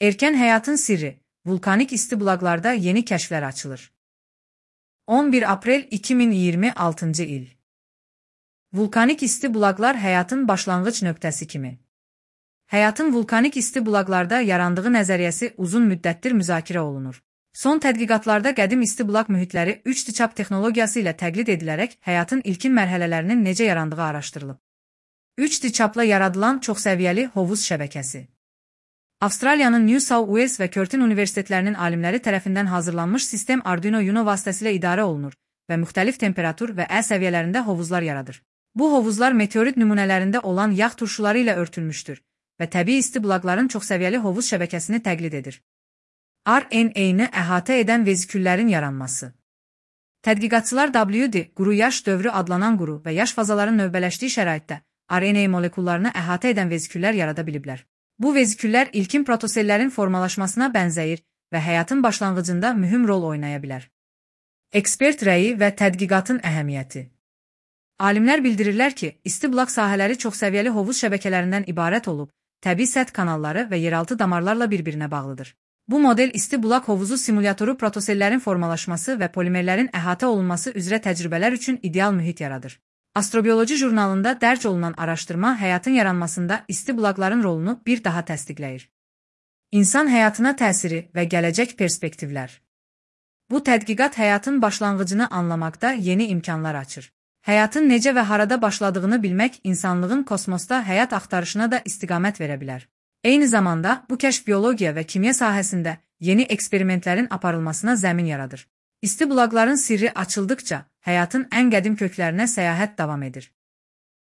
Erkən həyatın sirri, vulkanik isti bulaqlarda yeni kəşflər açılır. 11 aprel 2026 il. Vulkanik isti bulaqlar həyatın başlanğıc nöqtəsi kimi. Həyatın vulkanik isti bulaqlarda yarandığı nəzəriyyəsi uzun müddətdir müzakirə olunur. Son tədqiqatlarda qədim isti bulaq mühitləri 3D çap texnologiyası ilə təqlid edilərək həyatın ilkin mərhələlərinin necə yarandığı araşdırılıb. 3D çapla yaradılan çoxsəviyyəli hovuz şəbəkəsi. Avstraliyanın New South Wales və Curtin universitetlərinin alimləri tərəfindən hazırlanmış sistem Arduino Uno vasitəsilə idarə olunur və müxtəlif temperatur və əl səviyyələrində hovuzlar yaradır. Bu hovuzlar meteorit nümunələrində olan yağ turşuları ilə örtülmüşdür və təbii isti bulaqların çoxsəviyyəli hovuz şəbəkəsini təqlid edir. RNA-ni əhatə edən veziküllərin yaranması. Tədqiqatçılar WD, quru yaş dövrü adlanan quru və yaş fazaların növbələşdiyi şəraitdə RNA molekullarını əhatə edən veziküllər yarada biliblər. Bu veziküllər ilkin protosellərin formalaşmasına bənzəyir və həyatın başlanğıcında mühüm rol oynaya bilər. Ekspert rəyi və tədqiqatın əhəmiyyəti. Alimlər bildirirlər ki, isti bulaq sahələri çoxsəviyyəli hovuz şəbəkələrindən ibarət olub, təbii səth kanalları və yeraltı damarlarla bir-birinə bağlıdır. Bu model isti bulaq hovuzu simulyatoru protosellərin formalaşması və polimerlərin əhatə olunması üzrə təcrübələr üçün ideal mühit yaradır. Astrobioloji jurnalında dərc olunan araşdırma həyatın yaranmasında isti bulaqların rolunu bir daha təsdiqləyir. İnsan həyatına təsiri və gələcək perspektivlər. Bu tədqiqat həyatın başlanğıcını anlamaqda yeni imkanlar açır. Həyatın necə və harada başladığını bilmək insanlığın kosmosda həyat axtarışına da istiqamət verə bilər. Eyni zamanda bu kəşf biologiya və kimya sahəsində yeni eksperimentlərin aparılmasına zəmin yaradır. İsti bulaqların sirri açıldıqca həyatın ən qədim köklərinə səyahət davam edir.